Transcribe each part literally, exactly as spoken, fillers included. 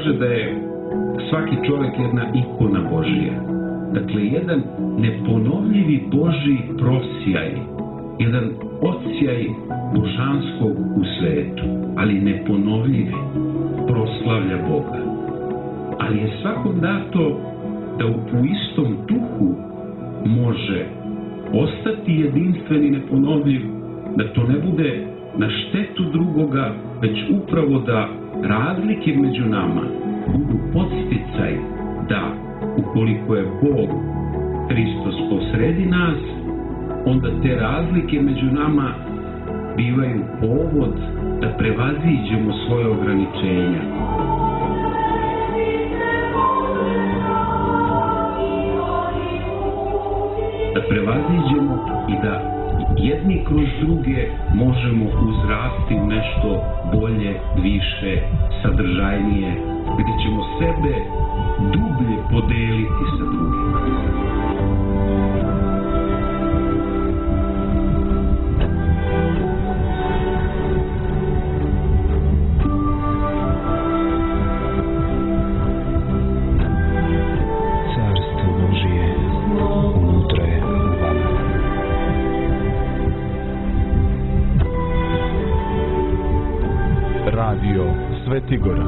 kaže da je svaki čovjek jedna ikona Božija. Dakle, jedan neponovljivi Božji prosjaj, jedan odsjaj božanskog u svetu, ali neponovljivi, proslavlja Boga. Ali je svakom dato da u istom duhu može ostati jedinstven i neponovljiv, da to ne bude na štetu drugoga, već upravo da razlike među nama budu podsticaj da, ukoliko je Bog Hristos posredi nas, onda te razlike među nama bivaju povod da prevaziđemo svoje ograničenja. Da prevaziđemo i da jedni kroz druge možemo uzrasti u nešto bolje, više, sadržajnije, gdje ćemo sebe dublje podeliti sa drugima. Svetigora.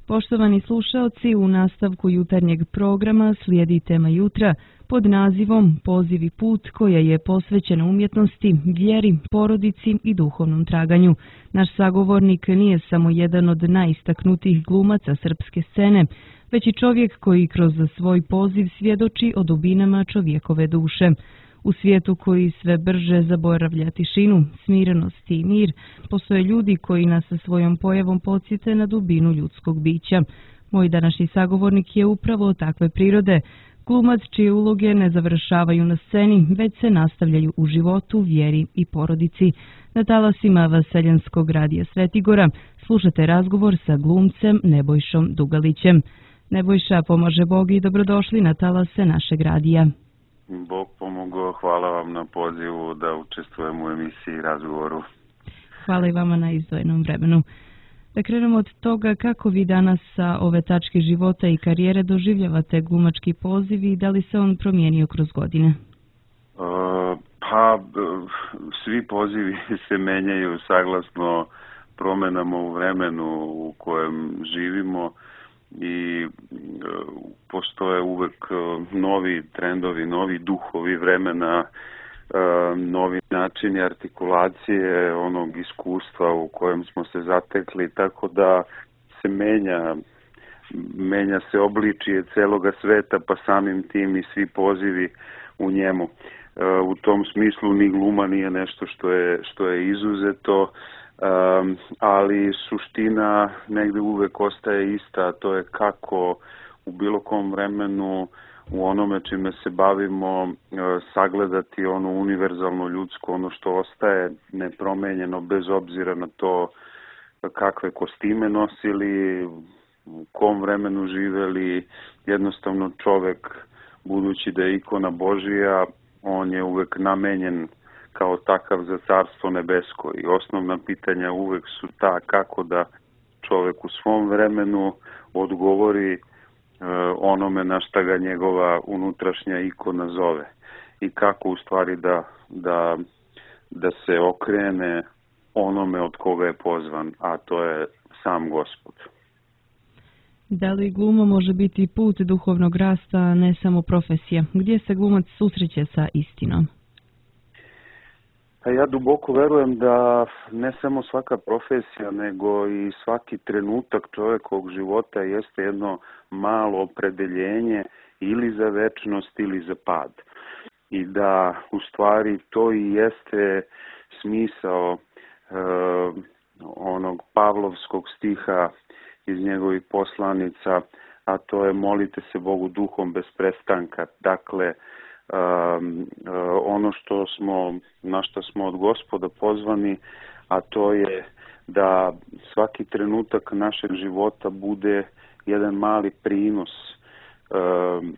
Poštovani slušaoci, u nastavku jutarnjeg programa slijedi tema jutra pod nazivom Poziv i put, koja je posvećena umjetnosti, vjeri, porodici i duhovnom traganju. Naš sagovornik nije samo jedan od najistaknutijih glumaca srpske scene, već i čovjek koji kroz svoj poziv svjedoči o dubinama čovjekove duše. U svijetu koji sve brže zaboravlja tišinu, smirenost i mir, postoje ljudi koji nas sa svojom pojavom podsjete na dubinu ljudskog bića. Moj današnji sagovornik je upravo takve prirode, glumac čije uloge ne završavaju na sceni, već se nastavljaju u životu, vjeri i porodici. Na talasima Vaseljenskog radija Svetigora slušate razgovor sa glumcem Nebojšom Dugalićem. Nebojša, pomaže Bog i dobrodošli na talase našeg radija. Bog pomogao, hvala vam na pozivu da učestvujem u emisiji i razgovoru. Hvala i vama na izdvojenom vremenu. Da krenemo od toga kako vi danas sa ove tačke života i karijere doživljavate glumački poziv i da li se on promijenio kroz godine? Uh, pa, svi pozivi se menjaju saglasno promjenama u vremenu u kojem živimo. I e, postoje uvek novi trendovi, novi duhovi vremena, e, novi načini artikulacije onog iskustva u kojem smo se zatekli, tako da se menja, menja se obličije celoga sveta, pa samim tim i svi pozivi u njemu. E, u tom smislu ni gluma nije nešto što je, što je izuzeto, Um, ali suština negde uvek ostaje ista, a to je kako u bilo kom vremenu u onome čime se bavimo uh, sagledati ono univerzalno ljudsko, ono što ostaje nepromenjeno bez obzira na to kakve kostime nosili, u kom vremenu živeli. Jednostavno čovek, budući da je ikona Božija, on je uvek namenjen kao takav za carstvo nebesko i osnovna pitanja uvek su ta kako da čovjek u svom vremenu odgovori e, onome na šta ga njegova unutrašnja ikona zove i kako u stvari da, da, da se okrene onome od koga je pozvan, a to je sam Gospod. Da li gluma može biti put duhovnog rasta, a ne samo profesija? Gdje se glumac susreće sa istinom? Ja duboko verujem da ne samo svaka profesija, nego i svaki trenutak čovjekovog života jeste jedno malo opredeljenje ili za večnost ili za pad. I da u stvari to i jeste smisao e, onog Pavlovskog stiha iz njegovih poslanica, a to je molite se Bogu duhom bez prestanka. Dakle, Um, ono što smo, na što smo od Gospoda pozvani, a to je da svaki trenutak našeg života bude jedan mali prinos. Um,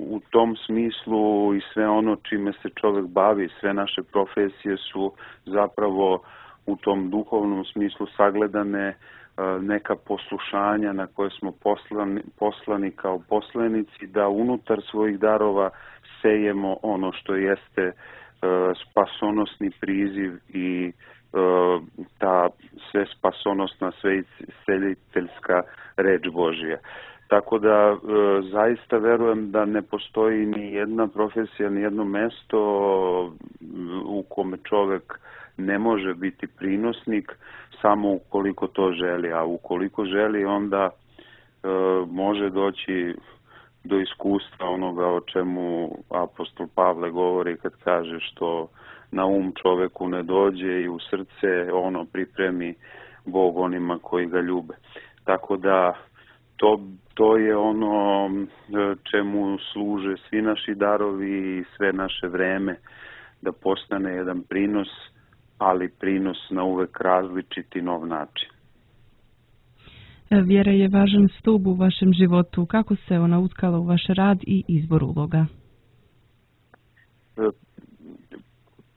u tom smislu i sve ono čime se čovjek bavi, sve naše profesije su zapravo u tom duhovnom smislu sagledane neka poslušanja na koje smo poslani, poslani kao poslanici, da unutar svojih darova sejemo ono što jeste spasonosni priziv i ta sve spasonosna, sve isceliteljska reč Božja. Tako da zaista verujem da ne postoji ni jedna profesija, ni jedno mesto u kome čovek ne može biti prinosnik, samo ukoliko to želi, a ukoliko želi onda e, može doći do iskustva onoga o čemu apostol Pavle govori kad kaže što na um čoveku ne dođe i u srce ono pripremi Bog onima koji ga ljube. Tako da to, to je ono čemu služe svi naši darovi i sve naše vreme, da postane jedan prinos, ali prinos na uvek različiti nov način. Vjera je važan stup u vašem životu. Kako se ona utkala u vaš rad i izbor uloga?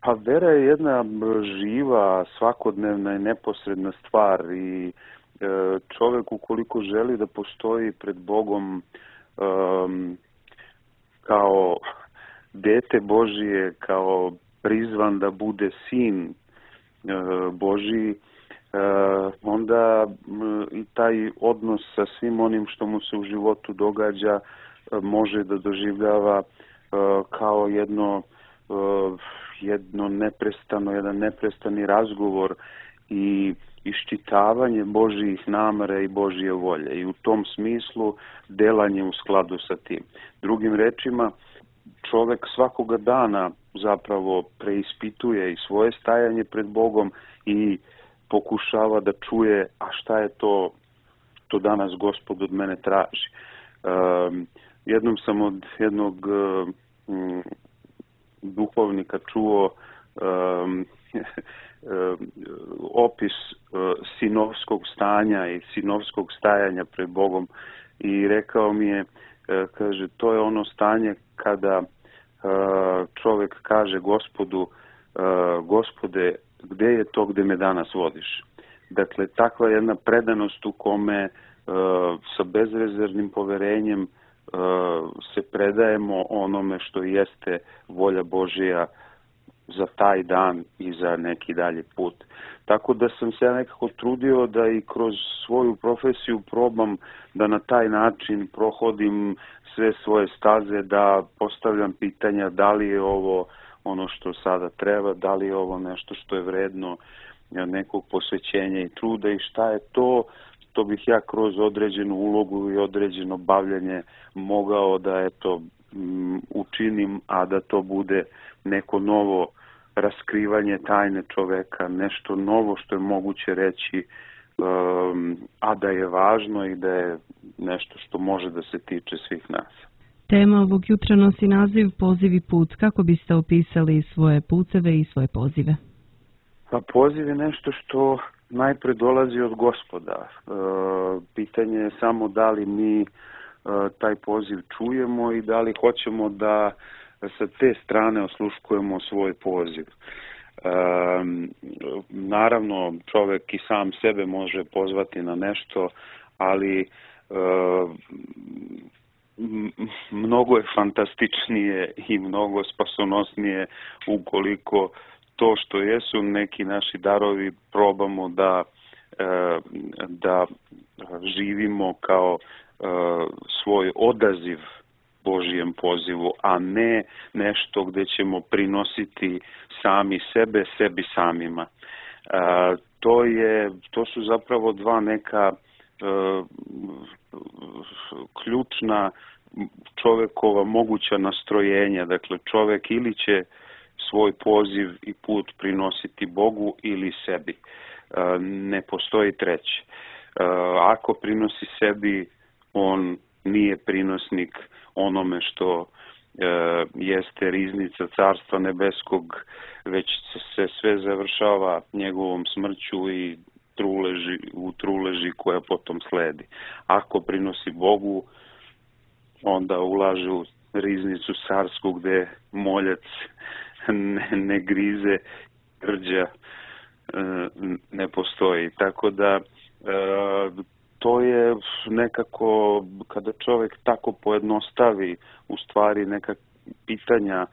Pa vera je jedna živa, svakodnevna i neposredna stvar i čovjek ukoliko želi da postoji pred Bogom um, kao dete Božije, kao prizvan da bude sin Božiji, onda i taj odnos sa svim onim što mu se u životu događa može da doživljava kao jedno, jedno neprestano, jedan neprestani razgovor i iščitavanje Božjih namera i Božje volje i u tom smislu delanje u skladu sa tim. Drugim rečima, čovek svakoga dana zapravo preispituje i svoje stajanje pred Bogom i pokušava da čuje a šta je to što danas Gospod od mene traži. Um, jednom sam od jednog um, duhovnika čuo um, opis sinovskog stanja i sinovskog stajanja pred Bogom i rekao mi je, kaže, to je ono stanje kada čovjek kaže Gospodu, Gospode, gde je to gde me danas vodiš? Dakle, takva jedna predanost u kome sa bezrezervnim poverenjem se predajemo onome što jeste volja Božija za taj dan i za neki dalji put. Tako da sam se ja nekako trudio da i kroz svoju profesiju probam da na taj način prohodim sve svoje staze, da postavljam pitanja da li je ovo ono što sada treba, da li je ovo nešto što je vredno nekog posvećenja i truda i šta je to što bih ja kroz određenu ulogu i određeno bavljanje mogao da eto učinim, a da to bude neko novo raskrivanje tajne čoveka, nešto novo što je moguće reći, um, a da je važno i da je nešto što može da se tiče svih nas. Tema ovog jutra nosi naziv Poziv i put. Kako biste opisali svoje puteve i svoje pozive? Pa poziv je nešto što najpre dolazi od Gospoda. E, pitanje je samo da li mi e, taj poziv čujemo i da li hoćemo da sa te strane osluškujemo svoj poziv. E, naravno, čovjek i sam sebe može pozvati na nešto, ali e, mnogo je fantastičnije i mnogo spasonosnije ukoliko to što jesu neki naši darovi probamo da, da živimo kao svoj odaziv Božijem pozivu, a ne nešto gde ćemo prinositi sami sebe, sebi samima. To je, to su zapravo dva neka ključna čovekova moguća nastrojenja. Dakle, čovek ili će svoj poziv i put prinositi Bogu ili sebi. Ne postoji treće. Ako prinosi sebi, on nije prinosnik onome što jeste riznica Carstva nebeskog, već se sve završava njegovom smrću i truleži, u truleži koja potom sledi. Ako prinosi Bogu, onda ulaže u riznicu carsku gde moljac ne, ne grize, grđa ne postoji. Tako da to je nekako, kada čovjek tako pojednostavi u stvari neka pitanja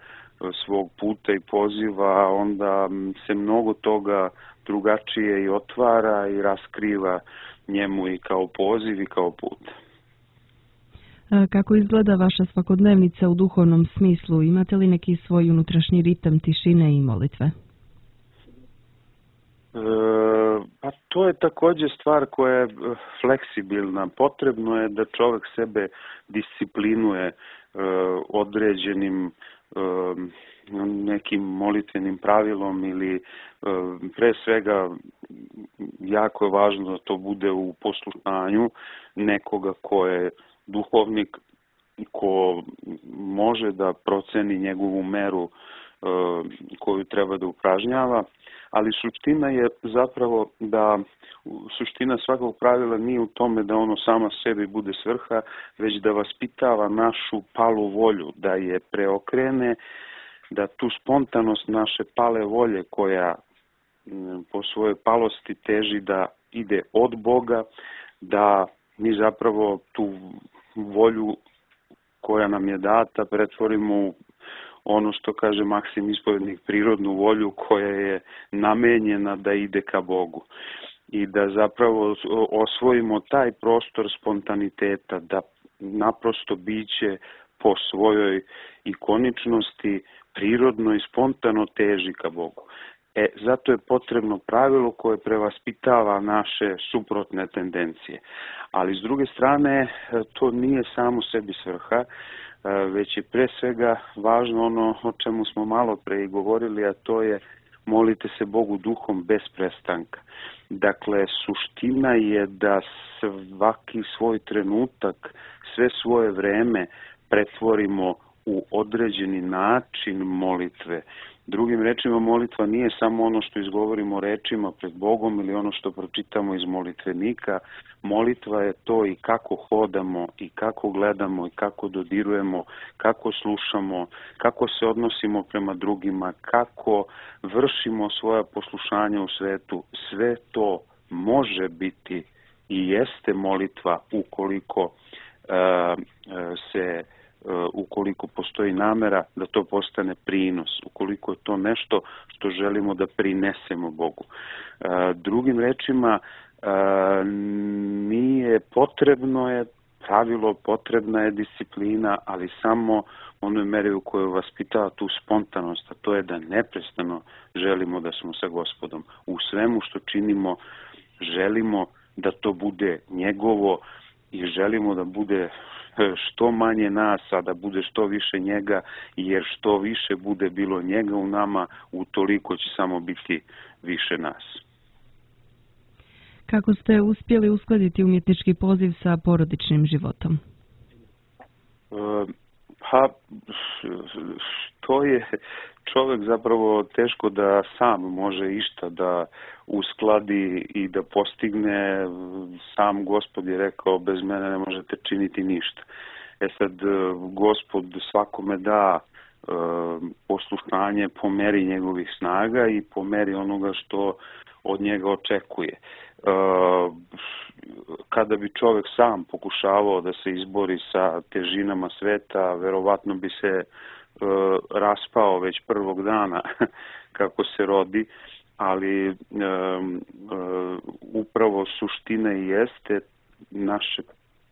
svog puta i poziva, onda se mnogo toga drugačije i otvara i raskriva njemu i kao poziv i kao put. Kako izgleda vaša svakodnevnica u duhovnom smislu? Imate li neki svoj unutrašnji ritam tišine i molitve? E, pa to je također stvar koja je fleksibilna. Potrebno je da čovjek sebe disciplinuje e, određenim e, nekim molitvenim pravilom ili e, pre svega jako je važno da to bude u poslušanju nekoga ko je duhovnik, ko može da proceni njegovu meru e, koju treba da upražnjava, ali suština je zapravo da suština svakog pravila nije u tome da ono sama sebi bude svrha, već da vaspitava našu palu volju, da je preokrene, da tu spontanost naše pale volje koja po svojoj palosti teži da ide od Boga, da mi zapravo tu volju koja nam je data pretvorimo u ono što kaže Maksim Ispovjednik, prirodnu volju koja je namenjena da ide ka Bogu. I da zapravo osvojimo taj prostor spontaniteta, da naprosto biće po svojoj ikoničnosti prirodno i spontano teži ka Bogu. E, zato je potrebno pravilo koje prevaspitava naše suprotne tendencije. Ali s druge strane, to nije samo sebi svrha, već je pre svega važno ono o čemu smo malo pre i govorili, a to je molite se Bogu duhom bez prestanka. Dakle, suština je da svaki svoj trenutak, sve svoje vreme pretvorimo u određeni način molitve. Drugim rečima, molitva nije samo ono što izgovorimo rečima pred Bogom ili ono što pročitamo iz molitvenika. Molitva je to i kako hodamo, i kako gledamo, i kako dodirujemo, kako slušamo, kako se odnosimo prema drugima, kako vršimo svoja poslušanja u svetu. Sve to može biti i jeste molitva ukoliko uh, se ukoliko postoji namera da to postane prinos, ukoliko je to nešto što želimo da prinesemo Bogu. Drugim rečima, nije potrebno je pravilo, potrebna je disciplina, ali samo onoj meri u kojoj vaspitava tu spontanost, a to je da neprestano želimo da smo sa Gospodom. U svemu što činimo želimo da to bude njegovo i želimo da bude što manje nas, a da bude što više njega, jer što više bude bilo njega u nama, utoliko će samo biti više nas. Kako ste uspjeli uskladiti umjetnički poziv sa porodičnim životom? Pa, to je čovjek zapravo teško da sam može išta da uskladi i da postigne. Sam Gospod je rekao, bez mene ne možete činiti ništa. E sad, Gospod svakome da poslušanje po meri njegovih snaga i po meri onoga što od njega očekuje. Kada bi čovjek sam pokušavao da se izbori sa težinama sveta, verovatno bi se raspao već prvog dana kako se rodi, ali upravo suština i jeste našeg,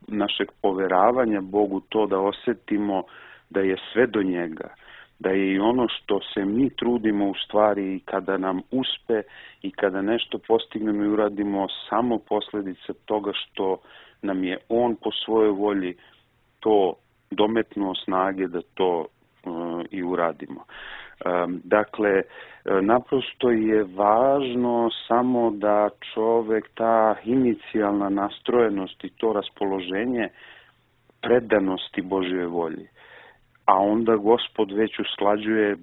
našeg poveravanja Bogu to da osjetimo da je sve do njega, da je i ono što se mi trudimo u stvari i kada nam uspe i kada nešto postignemo i uradimo samo posljedica toga što nam je on po svojoj volji to dometnuo snage da to uh, i uradimo. Um, dakle, naprosto je važno samo da čovjek ta inicijalna nastrojenost i to raspoloženje predanosti Božjoj volji. A onda Gospod već usklađuje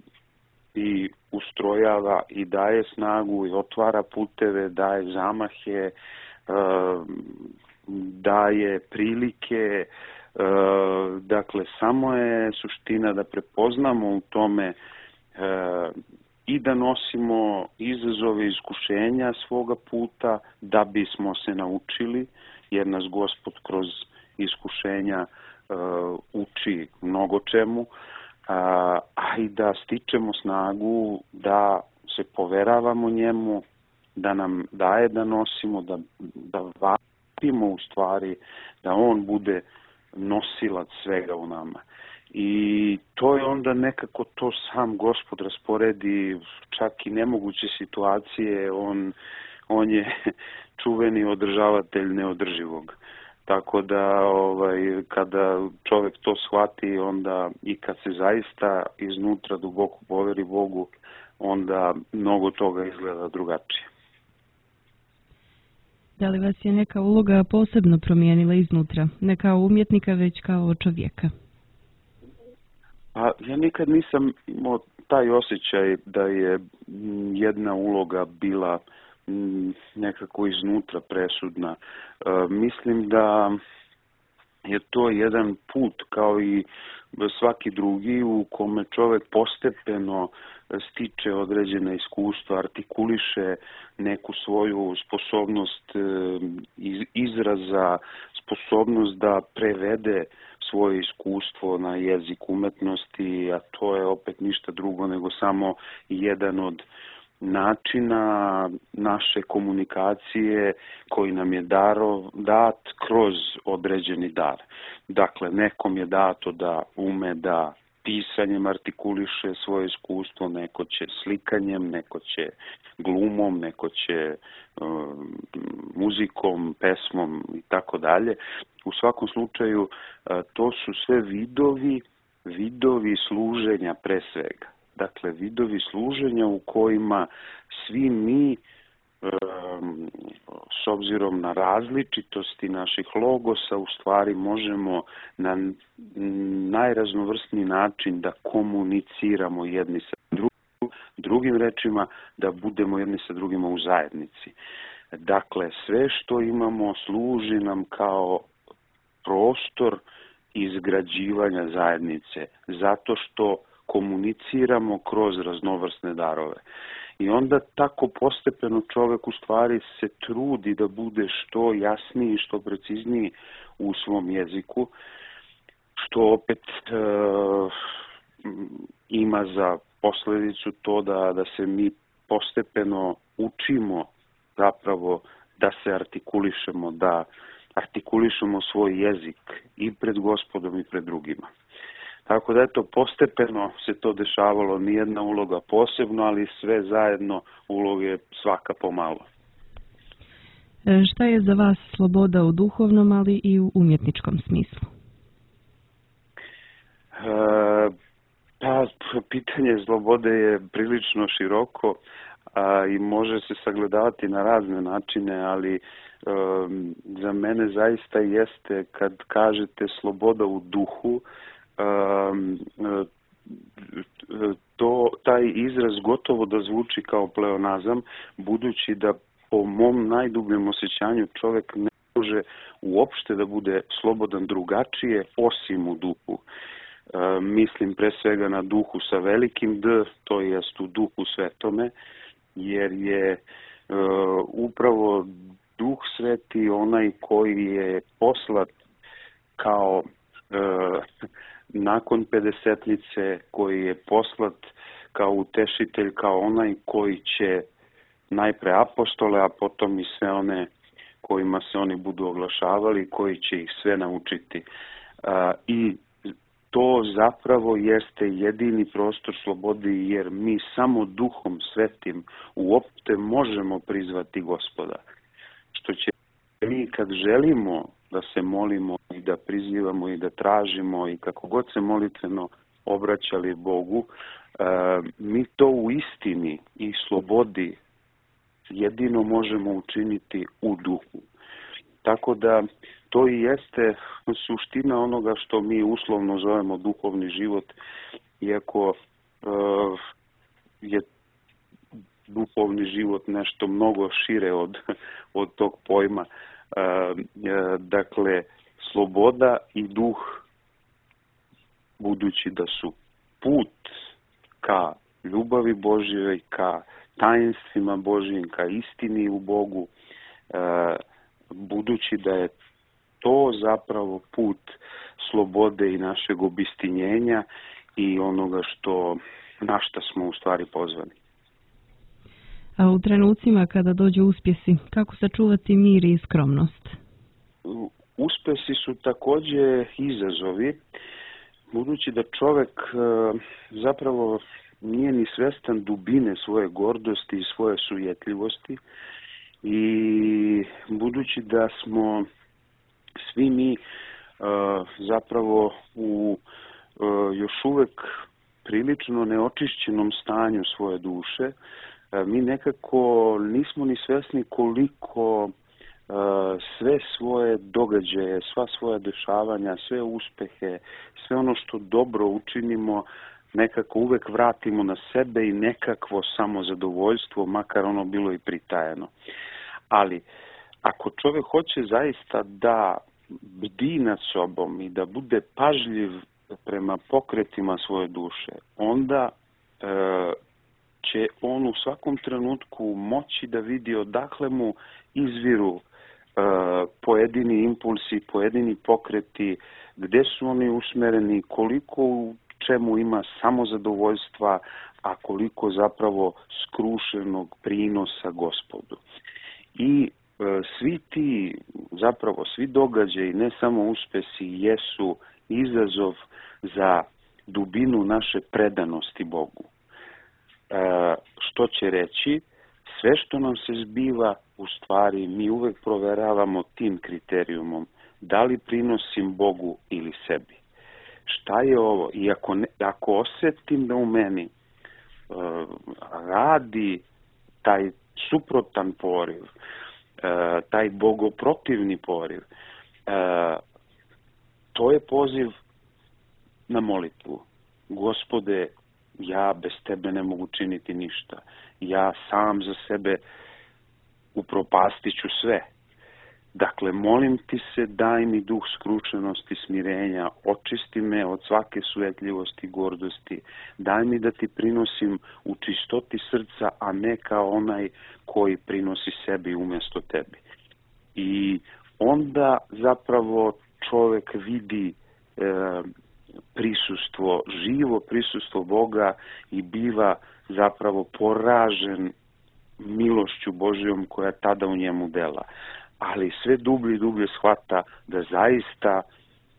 i ustrojava i daje snagu i otvara puteve, daje zamahe, daje prilike. Dakle, samo je suština da prepoznamo u tome i da nosimo izazove i iskušenja svoga puta da bismo se naučili, jer nas Gospod kroz iskušenja uh, uči mnogo čemu, uh, a i da stičemo snagu da se poveravamo njemu, da nam daje da nosimo, da, da vapimo u stvari, da on bude nosilac svega u nama. I to je onda nekako to sam Gospod rasporedi, čak i nemoguće situacije, on, on je čuveni održavatelj neodrživog. Tako da ovaj, kada čovjek to shvati, onda i kad se zaista iznutra duboko poveri Bogu, onda mnogo toga izgleda drugačije. Da li vas je neka uloga posebno promijenila iznutra, ne kao umjetnika, već kao čovjeka? A ja nikad nisam imao taj osjećaj da je jedna uloga bila nekako iznutra presudna. E, mislim da je to jedan put kao i svaki drugi u kome čovjek postepeno stiče određena iskustva, artikuliše neku svoju sposobnost izraza, sposobnost da prevede svoje iskustvo na jezik umetnosti, a to je opet ništa drugo nego samo jedan od načina naše komunikacije koji nam je darov, dat kroz određeni dar. Dakle, nekom je dato da ume da pisanjem artikuliše svoje iskustvo, neko će slikanjem, neko će glumom, neko će um, muzikom, pesmom i tako dalje. U svakom slučaju, uh, to su sve vidovi, vidovi služenja pre svega. Dakle, vidovi služenja u kojima svi mi, um, s obzirom na različitosti naših logosa, u stvari možemo na najraznovrsniji način da komuniciramo jedni sa drugim, drugim rečima, da budemo jedni sa drugima u zajednici. Dakle, sve što imamo služi nam kao prostor izgrađivanja zajednice, zato što komuniciramo kroz raznovrsne darove. I onda tako postepeno čovjek u stvari se trudi da bude što jasniji, što precizniji u svom jeziku, što opet e, ima za posljedicu to da, da se mi postepeno učimo zapravo da se artikulišemo, da artikulišemo svoj jezik i pred Gospodom i pred drugima. Tako da eto, postepeno se to dešavalo, nijedna uloga posebno, ali sve zajedno uloge svaka pomalo. E, šta je za vas sloboda u duhovnom, ali i u umjetničkom smislu? E, pa, pitanje slobode je prilično široko a, i može se sagledavati na razne načine, ali e, za mene zaista jeste kad kažete sloboda u duhu, Um, to, taj izraz gotovo da zvuči kao pleonazam, budući da po mom najdubljem osjećanju čovjek ne može uopšte da bude slobodan drugačije osim u duhu. Um, mislim pre svega na duhu sa velikim D, to jest u duhu svetome, jer je uh, upravo duh sveti onaj koji je poslat kao uh, nakon pedesetnice, koji je poslat kao utešitelj, kao onaj koji će najpre apostole, a potom i sve one kojima se oni budu oglašavali, koji će ih sve naučiti. A, I to zapravo jeste jedini prostor slobodi, jer mi samo duhom svetim uopšte možemo prizvati Gospoda. Što će mi kad želimo da se molimo i da prizivamo i da tražimo i kako god se molitveno obraćali Bogu, mi to u istini i slobodi jedino možemo učiniti u duhu. Tako da to i jeste suština onoga što mi uslovno zovemo duhovni život, iako je duhovni život nešto mnogo šire od, od tog pojma. Dakle, sloboda i duh, budući da su put ka ljubavi Božjoj, ka tajenstvima Božjim, ka istini u Bogu, budući da je to zapravo put slobode i našeg obistinjenja i onoga što, na šta smo u stvari pozvani. A u trenucima kada dođu uspjesi, kako sačuvati mir i skromnost? Uspjesi su također izazovi, budući da čovjek zapravo nije ni svjestan dubine svoje gordosti i svoje sujetljivosti i budući da smo svi mi zapravo u još uvijek prilično neočišćenom stanju svoje duše, mi nekako nismo ni svjesni koliko sve svoje događaje, sva svoja dešavanja, sve uspehe, sve ono što dobro učinimo, nekako uvek vratimo na sebe i nekakvo samozadovoljstvo, makar ono bilo i pritajeno. Ali, ako čovjek hoće zaista da bdi nad sobom i da bude pažljiv prema pokretima svoje duše, onda e, će on u svakom trenutku moći da vidi odakle mu izviru e, pojedini impulsi, pojedini pokreti, gde su oni usmereni, koliko u čemu ima samozadovoljstva, a koliko zapravo skrušenog prinosa Gospodu. I e, svi ti, zapravo svi događaji, ne samo uspesi, jesu izazov za dubinu naše predanosti Bogu. E, što će reći, sve što nam se zbiva, u stvari mi uvek proveravamo tim kriterijumom, da li prinosim Bogu ili sebi. Šta je ovo? I ako, ne, ako osjetim da u meni uh, radi taj suprotan poriv, uh, taj bogoprotivni poriv, uh, to je poziv na molitvu. Gospode, ja bez tebe ne mogu činiti ništa. Ja sam za sebe upropastiću sve. Dakle, molim ti se, daj mi duh skrušenosti, smirenja, očisti me od svake sujetljivosti i gordosti, daj mi da ti prinosim u čistoti srca, a ne kao onaj koji prinosi sebi umjesto tebi. I onda zapravo čovjek vidi e, prisustvo, živo prisustvo Boga i biva zapravo poražen milošću Božjom koja tada u njemu dela. Ali sve dublje i dublje shvata da zaista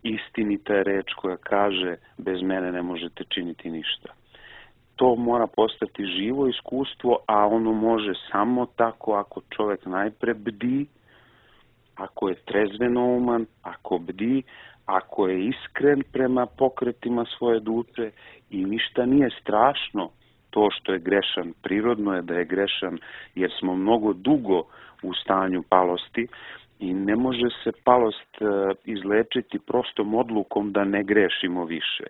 istinita je reč koja kaže bez mene ne možete činiti ništa. To mora postati živo iskustvo, a ono može samo tako ako čovjek najpre bdi, ako je trezvenouman, ako bdi, ako je iskren prema pokretima svoje duše i ništa nije strašno to što je grešan. Prirodno je da je grešan jer smo mnogo dugo u stanju palosti i ne može se palost izlečiti prostom odlukom da ne grešimo više.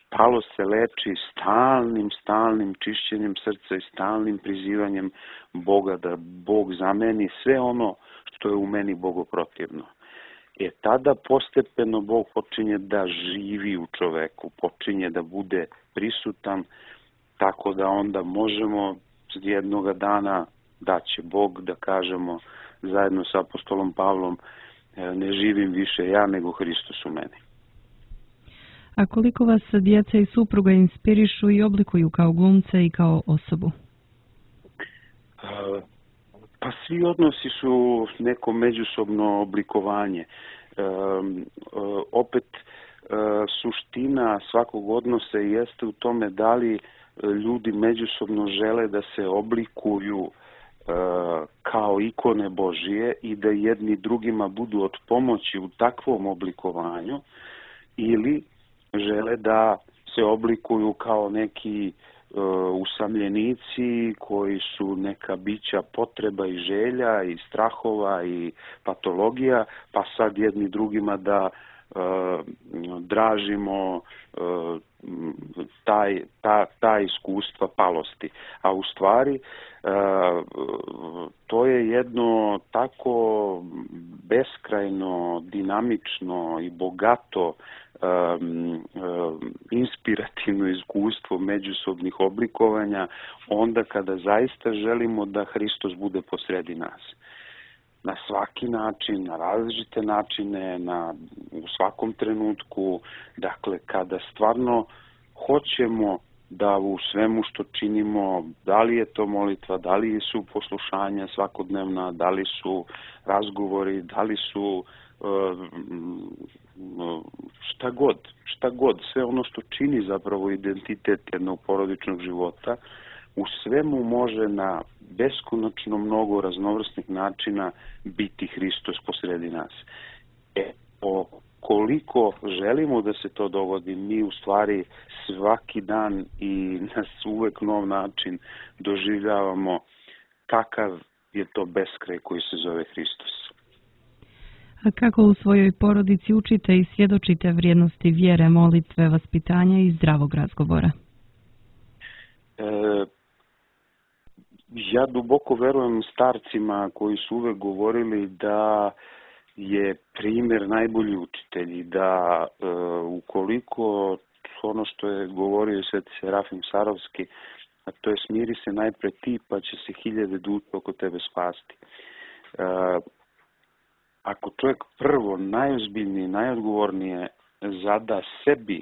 Palost se leči stalnim, stalnim čišćenjem srca i stalnim prizivanjem Boga da Bog zameni sve ono što je u meni bogoprotivno. E tada postepeno Bog počinje da živi u čoveku, počinje da bude prisutan, tako da onda možemo jednoga dana da će Bog da kažemo zajedno sa apostolom Pavlom ne živim više ja nego Hristos u meni. A koliko vas djeca i supruga inspirišu i oblikuju kao glumca i kao osobu? Pa svi odnosi su neko međusobno oblikovanje. E, opet e, suština svakog odnosa jeste u tome da li ljudi međusobno žele da se oblikuju e, kao ikone Božije i da jedni drugima budu od pomoći u takvom oblikovanju ili žele da se oblikuju kao neki e, usamljenici koji su neka bića potreba i želja i strahova i patologija, pa sad jedni drugima da e, dražimo, e, taj, ta, ta iskustva palosti. A u stvari to je jedno tako beskrajno, dinamično i bogato um, um, inspirativno iskustvo međusobnih oblikovanja onda kada zaista želimo da Hristos bude posredi nas. Na svaki način, na različite načine, na, u svakom trenutku, dakle kada stvarno hoćemo da u svemu što činimo, da li je to molitva, da li su poslušanja svakodnevna, da li su razgovori, da li su šta god, šta god, sve ono što čini zapravo identitet jednog porodičnog života, u svemu može na beskonačno mnogo raznovrsnih načina biti Hristos posredi nas. E, o koliko želimo da se to dogodi, mi u stvari svaki dan i na uvek nov način doživljavamo kakav je to beskraj koji se zove Hristos. A kako u svojoj porodici učite i svjedočite vrijednosti vjere, molitve, vaspitanja i zdravog razgovora? E, ja duboko verujem starcima koji su uvek govorili da je primjer najbolji učitelj i da e, ukoliko ono što je govorio Sveti Serafim Sarovski, a to je smiri se najpre ti pa će se hiljade duša oko tebe spasti. E, ako čovjek prvo, najozbiljnije, najodgovornije zada sebi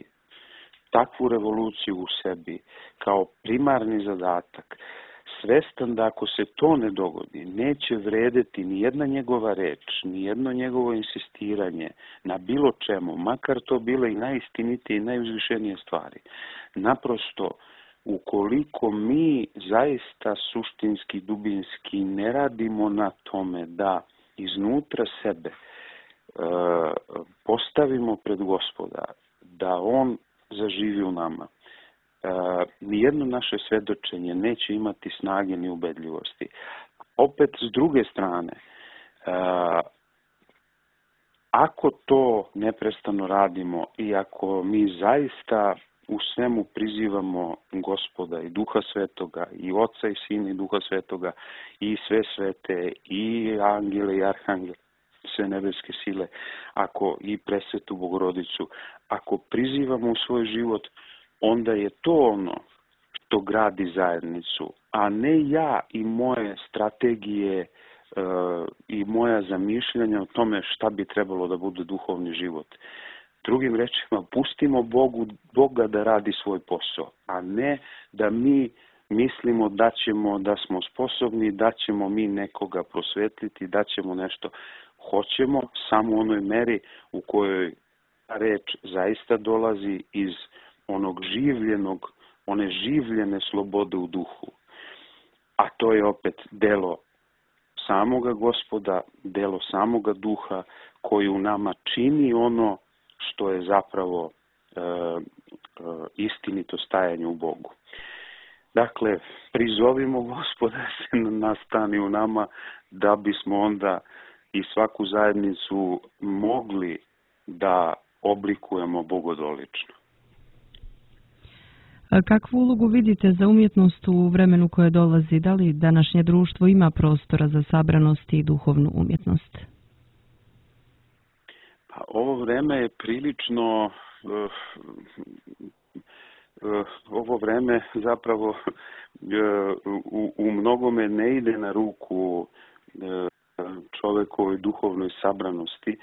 takvu revoluciju u sebi kao primarni zadatak, svestan da ako se to ne dogodi, neće vredeti ni jedna njegova reč, ni jedno njegovo insistiranje na bilo čemu, makar to bile i najistinitije i najuzvišenije stvari. Naprosto, ukoliko mi zaista suštinski, dubinski ne radimo na tome da iznutra sebe e, postavimo pred Gospoda, da On zaživi u nama, e, nijedno naše svedočenje neće imati snage ni ubedljivosti. Opet, s druge strane, e, ako to neprestano radimo i ako mi zaista u svemu prizivamo Gospoda i Duha Svetoga, i Oca i Sina i Duha Svetoga, i sve svete, i angele i arhangele, sve nebeske sile, ako i presvetu Bogorodicu, ako prizivamo u svoj život, onda je to ono što gradi zajednicu, a ne ja i moje strategije e, i moja zamišljanja o tome šta bi trebalo da bude duhovni život. Drugim rečima, pustimo Bogu, Boga da radi svoj posao, a ne da mi mislimo da ćemo, da smo sposobni, da ćemo mi nekoga prosvetliti, da ćemo nešto. Hoćemo samo u onoj meri u kojoj reč zaista dolazi iz onog življenog, one življene slobode u duhu. A to je opet delo samoga Gospoda, delo samoga Duha koji u nama čini ono što je zapravo e, e, istinito stajanje u Bogu. Dakle, prizovimo Gospoda da se nastani u nama da bismo onda i svaku zajednicu mogli da oblikujemo bogodolično. A kakvu ulogu vidite za umjetnost u vremenu koje dolazi? Da li današnje društvo ima prostora za sabranost i duhovnu umjetnost? Pa, ovo vreme je prilično, uh, uh, ovo vreme zapravo uh, u, u mnogome ne ide na ruku uh, čovekovoj duhovnoj sabranosti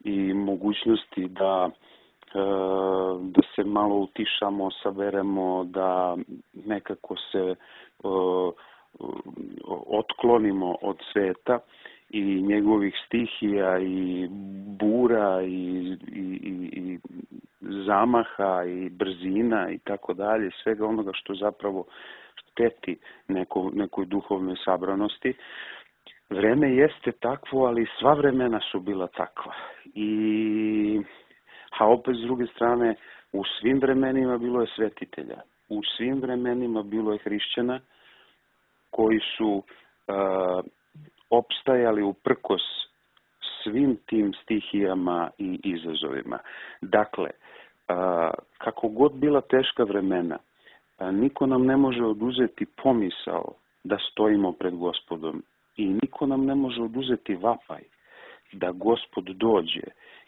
i mogućnosti da da se malo utišamo, saberemo, da nekako se uh, otklonimo od sveta i njegovih stihija i bura i, i, i zamaha i brzina i tako dalje, svega onoga što zapravo šteti neko, nekoj duhovnoj sabranosti. Vreme jeste takvo, ali sva vremena su bila takva. I a opet, s druge strane, u svim vremenima bilo je svetitelja. U svim vremenima bilo je hrišćana koji su uh, opstajali uprkos svim tim stihijama i izazovima. Dakle, kako god bila teška vremena, niko nam ne može oduzeti pomisao da stojimo pred Gospodom i niko nam ne može oduzeti vapaj da Gospod dođe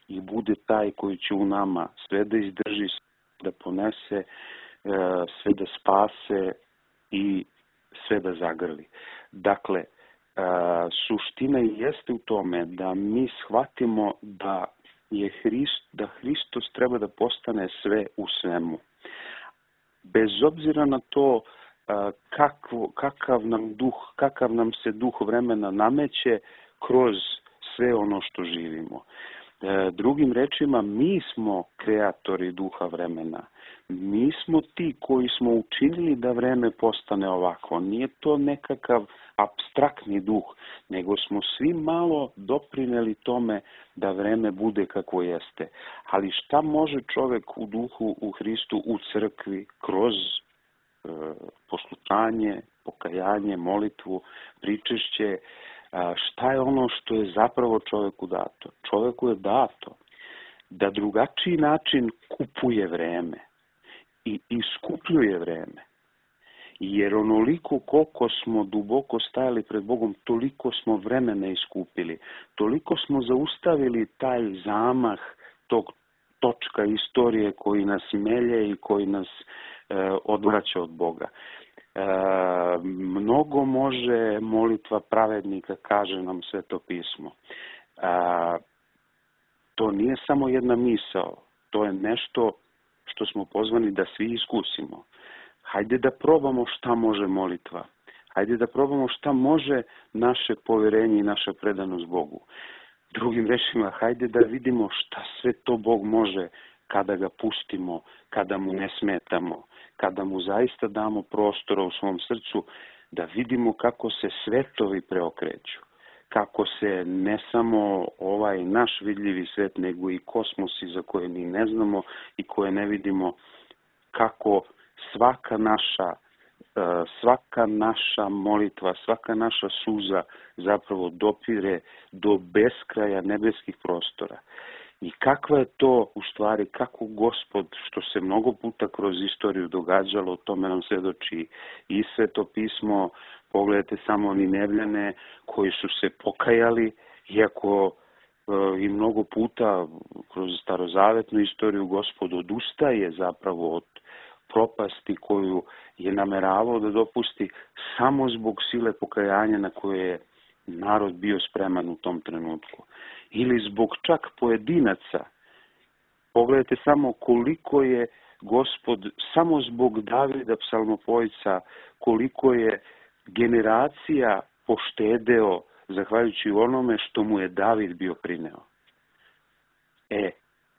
i bude taj koji će u nama sve da izdrži, da ponese, sve da spase i sve da zagrli. Dakle, suština jeste u tome da mi shvatimo da je Hrist, da Hristos treba da postane sve u svemu. Bez obzira na to kakvo, kakav nam duh, kakav nam se duh vremena nameće kroz sve ono što živimo. Drugim rečima, mi smo kreatori duha vremena. Mi smo ti koji smo učinili da vreme postane ovako. Nije to nekakav apstraktni duh, nego smo svi malo doprineli tome da vreme bude kako jeste. Ali šta može čovek u duhu, u Hristu, u crkvi, kroz e, poslušanje, pokajanje, molitvu, pričešće, šta je ono što je zapravo čoveku dato? Čoveku je dato da drugačiji način kupuje vreme i iskupljuje vreme. Jer onoliko koliko smo duboko stajali pred Bogom, toliko smo vremena iskupili. Toliko smo zaustavili taj zamah tog točka istorije koji nas melje i koji nas e, odvraća od Boga. E, mnogo može molitva pravednika, kaže nam Sveto pismo. E, to nije samo jedna misao, to je nešto što smo pozvani da svi iskusimo. Hajde da probamo šta može molitva. Hajde da probamo šta može naše poverenje i naša predanost Bogu. Drugim rečima, hajde da vidimo šta sve to Bog može kada ga pustimo, kada mu ne smetamo, kada mu zaista damo prostora u svom srcu, da vidimo kako se svetovi preokreću, kako se ne samo ovaj naš vidljivi svet, nego i kosmosi za koje mi ne znamo i koje ne vidimo, kako svaka naša, svaka naša molitva, svaka naša suza zapravo dopire do beskraja nebeskih prostora. I kakva je to u stvari, kako Gospod, što se mnogo puta kroz istoriju događalo, o tome nam svedoči i Sveto pismo. Pogledajte samo Ninevljane koji su se pokajali, iako e, i mnogo puta kroz starozavetnu istoriju Gospod odustaje zapravo od propasti koju je nameravao da dopusti samo zbog sile pokajanja na koje je narod bio spreman u tom trenutku. Ili zbog čak pojedinaca. Pogledajte samo koliko je Gospod, samo zbog Davida psalmopojca, koliko je generacija poštedeo zahvaljujući onome što mu je David bio prineo. E,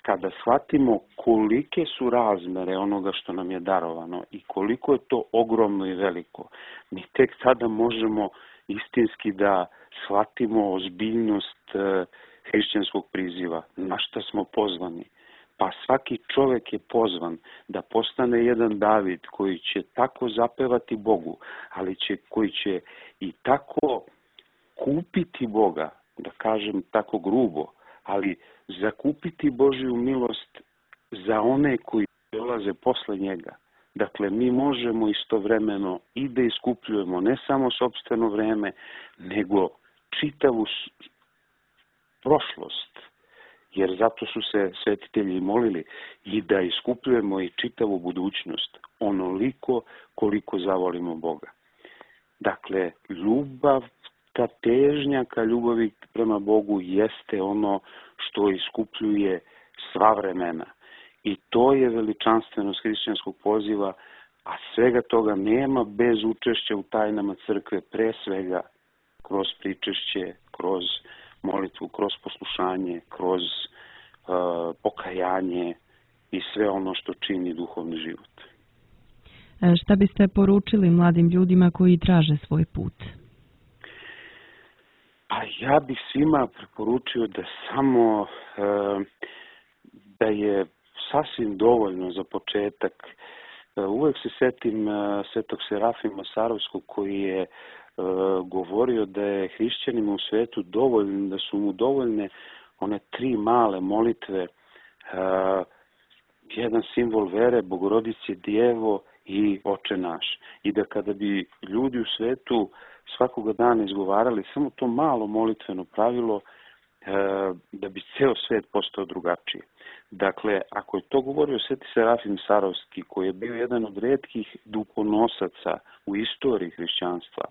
kada shvatimo kolike su razmere onoga što nam je darovano i koliko je to ogromno i veliko, mi tek tada možemo istinski da shvatimo ozbiljnost e, hrišćanskog priziva, na šta smo pozvani. Pa svaki čovjek je pozvan da postane jedan David koji će tako zapevati Bogu, ali će, koji će i tako kupiti Boga, da kažem tako grubo, ali zakupiti Božju milost za one koji dolaze posle njega. Dakle, mi možemo istovremeno i da iskupljujemo ne samo sopstveno vreme, nego čitavu prošlost, jer zato su se svetitelji molili, i da iskupljujemo i čitavu budućnost, onoliko koliko zavolimo Boga. Dakle, ljubav, ta težnja ka ljubavi prema Bogu jeste ono što iskupljuje sva vremena. I to je veličanstvenost hrišćanskog poziva, a svega toga nema bez učešća u tajnama crkve, pre svega kroz pričešće, kroz molitvu, kroz poslušanje, kroz uh, pokajanje i sve ono što čini duhovni život. Šta biste poručili mladim ljudima koji traže svoj put? Pa ja bih svima preporučio da samo uh, da je sasvim dovoljno za početak. Uh, uvek se setim uh, svetog Serafima Sarovskog koji je uh, govorio da je hrišćanima u svetu dovoljno, da su mu dovoljne one tri male molitve uh, jedan simbol vere, Bogorodice Djevo i Oče naš. I da kada bi ljudi u svetu svakoga dana izgovarali samo to malo molitveno pravilo, da bi ceo svet postao drugačiji. Dakle, ako je to govorio Sveti Serafim Sarovski, koji je bio jedan od retkih duhonosaca u istoriji hrišćanstva,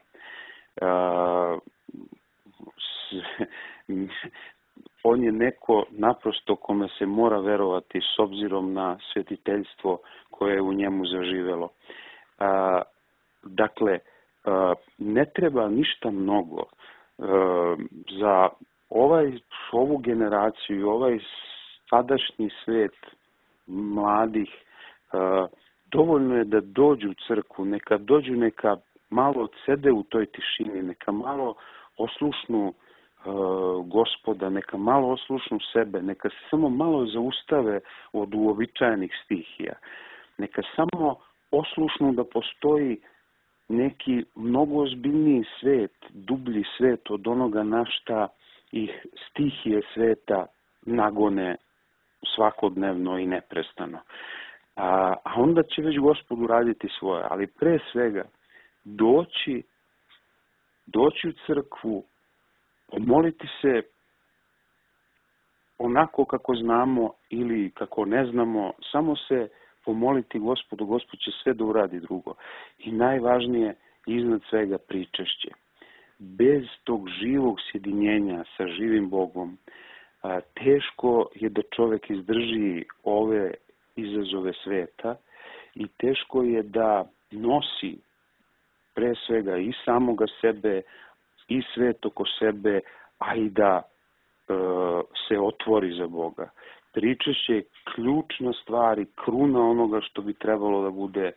on je neko naprosto kome se mora verovati s obzirom na svetiteljstvo koje je u njemu zaživelo. Dakle, ne treba ništa mnogo za ovaj, ovu generaciju i ovaj sadašnji svet mladih. Dovoljno je da dođu u crkvu, neka dođu, neka malo odsede u toj tišini, neka malo oslušnu Gospoda, neka malo oslušnu sebe, neka se samo malo zaustave od uobičajenih stihija, neka samo oslušnu da postoji neki mnogo ozbiljniji svet, dublji svet od onoga na šta ih stihije sveta nagone svakodnevno i neprestano. A, a onda će već Gospod uraditi svoje, ali pre svega doći, doći u crkvu, pomoliti se onako kako znamo ili kako ne znamo, samo se pomoliti Gospodu, Gospod će sve da uradi drugo. I najvažnije, iznad svega, pričešće. Bez tog živog sjedinjenja sa živim Bogom, teško je da čovjek izdrži ove izazove sveta i teško je da nosi pre svega i samoga sebe i svet oko sebe, a i da e, se otvori za Boga. Pričešće je ključna stvar i kruna onoga što bi trebalo da bude e,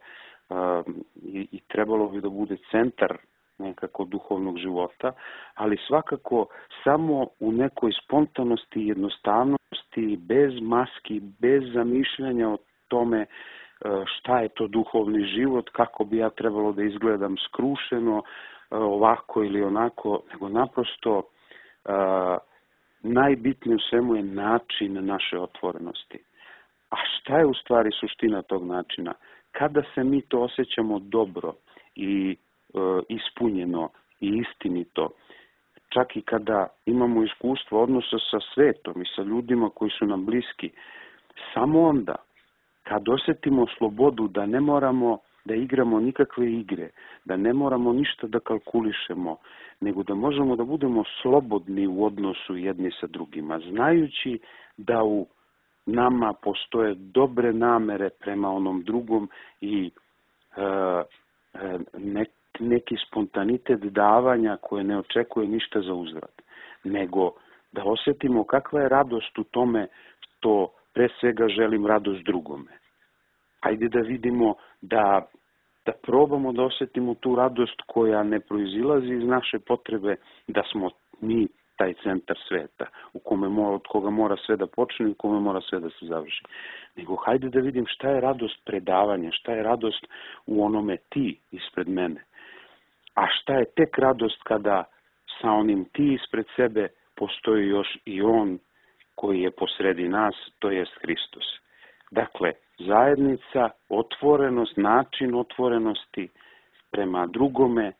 i, i trebalo bi da bude centar nekako duhovnog života, ali svakako samo u nekoj spontanosti i jednostavnosti, bez maski, bez zamišljanja o tome šta je to duhovni život, kako bi ja trebalo da izgledam skrušeno, ovako ili onako, nego naprosto najbitnije u svemu je način naše otvorenosti. A šta je u stvari suština tog načina? Kada se mi to osjećamo dobro i ispunjeno i istinito, čak i kada imamo iskustvo odnosa sa svetom i sa ljudima koji su nam bliski, samo onda, kad osjetimo slobodu da ne moramo da igramo nikakve igre, da ne moramo ništa da kalkulišemo, nego da možemo da budemo slobodni u odnosu jedni sa drugima, znajući da u nama postoje dobre namere prema onom drugom i e, e, ne, neki spontanitet davanja koje ne očekuje ništa za uzvrat, nego da osjetimo kakva je radost u tome što pre svega želim radost drugome. Hajde da vidimo da, da probamo da osjetimo tu radost koja ne proizilazi iz naše potrebe da smo mi taj centar sveta u kome mora, od koga mora sve da počne i u kome mora sve da se završi. Nego hajde da vidim šta je radost predavanja, šta je radost u onome ti ispred mene. A šta je tek radost kada sa onim ti ispred sebe postoji još i on koji je posredi nas, to jest Hristos. Dakle, zajednica, otvorenost, način otvorenosti prema drugome,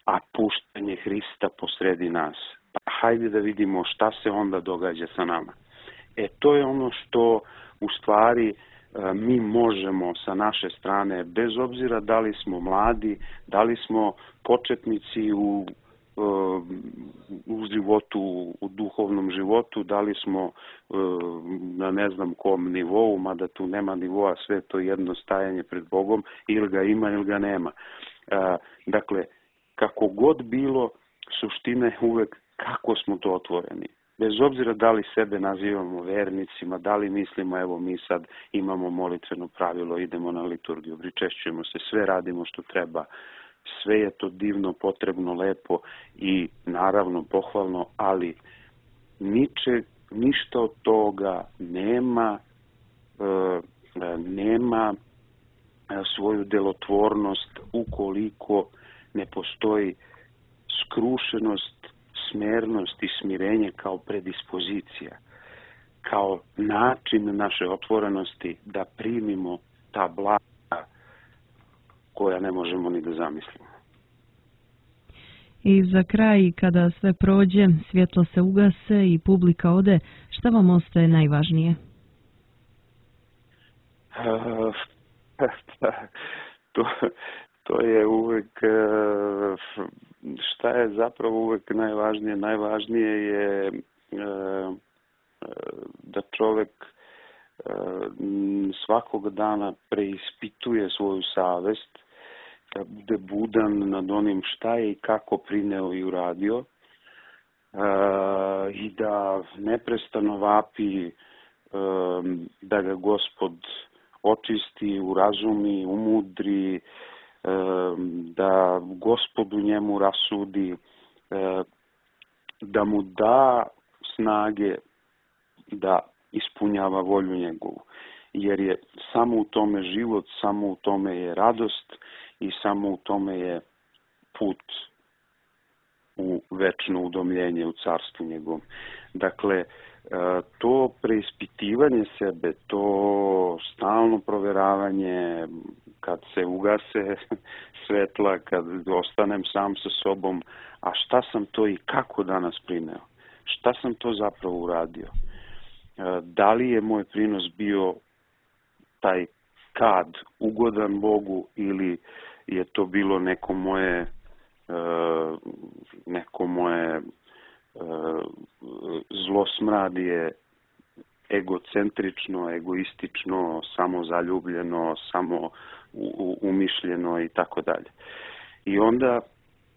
a puštanje Hrista posredi nas. Pa hajde da vidimo šta se onda događa sa nama. E, to je ono što u stvari mi možemo sa naše strane, bez obzira da li smo mladi, da li smo početnici u, u životu, u duhovnom životu, da li smo na ne znam kom nivou, mada tu nema nivoa, sve to jedno stajanje pred Bogom, ili ga ima ili ga nema. Dakle, kako god bilo, suština je uvek kako smo to otvoreni. Bez obzira da li sebe nazivamo vernicima, da li mislimo, evo mi sad imamo molitveno pravilo, idemo na liturgiju, pričešćujemo se, sve radimo što treba, sve je to divno, potrebno, lepo i naravno pohvalno, ali niče, ništa od toga nema, e, nema svoju delotvornost ukoliko ne postoji skrušenost, smernost i smirenje kao predispozicija. kao način naše otvorenosti da primimo ta blaga koja ne možemo ni da zamislimo. I za kraj, kada sve prođe, svjetlo se ugase i publika ode, šta vam ostaje najvažnije? Uh, to, to je uvek, šta je zapravo uvek najvažnije? Najvažnije je uh, da čovek svakog dana preispituje svoju savest, da bude budan nad onim šta je i kako prineo i uradio i da neprestano vapi da ga Gospod očisti, urazumi, umudri, da Gospod u njemu rasudi, da mu da snage da ispunjava volju njegovu. Jer je samo u tome život, samo u tome je radost i samo u tome je put u večno udomljenje u carstvu njegovom. Dakle, to preispitivanje sebe, to stalno proveravanje, kad se ugase svetla, kad ostanem sam sa sobom, a šta sam to i kako danas prineo? Šta sam to zapravo uradio? Da li je moj prinos bio taj kad ugodan Bogu ili je to bilo neko moje neko moje zlosmradije, egocentrično, egoistično, samozaljubljeno, samo umišljeno i tako dalje. I onda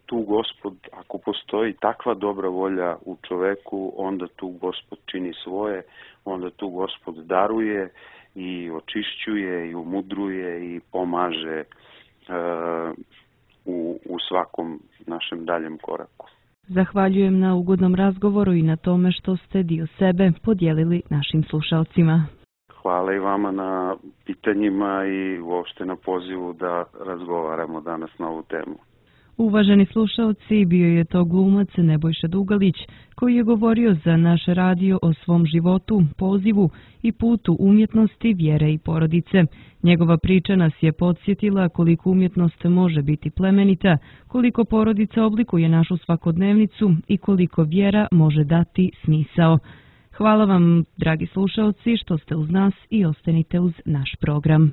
tu Gospod, ako postoji takva dobra volja u čoveku, onda tu Gospod čini svoje, onda tu Gospod daruje i očišćuje i umudruje i pomaže uh, u, u svakom našem daljem koraku. Zahvaljujem na ugodnom razgovoru i na tome što ste dio sebe podijelili našim slušalcima. Hvala i vama na pitanjima i uopšte na pozivu da razgovaramo danas na ovu temu. Uvaženi slušalci, bio je to glumac Nebojša Dugalić, koji je govorio za naš radio o svom životu, pozivu i putu umjetnosti, vjere i porodice. Njegova priča nas je podsjetila koliko umjetnost može biti plemenita, koliko porodica oblikuje našu svakodnevnicu i koliko vjera može dati smisao. Hvala vam, dragi slušalci, što ste uz nas i ostanite uz naš program.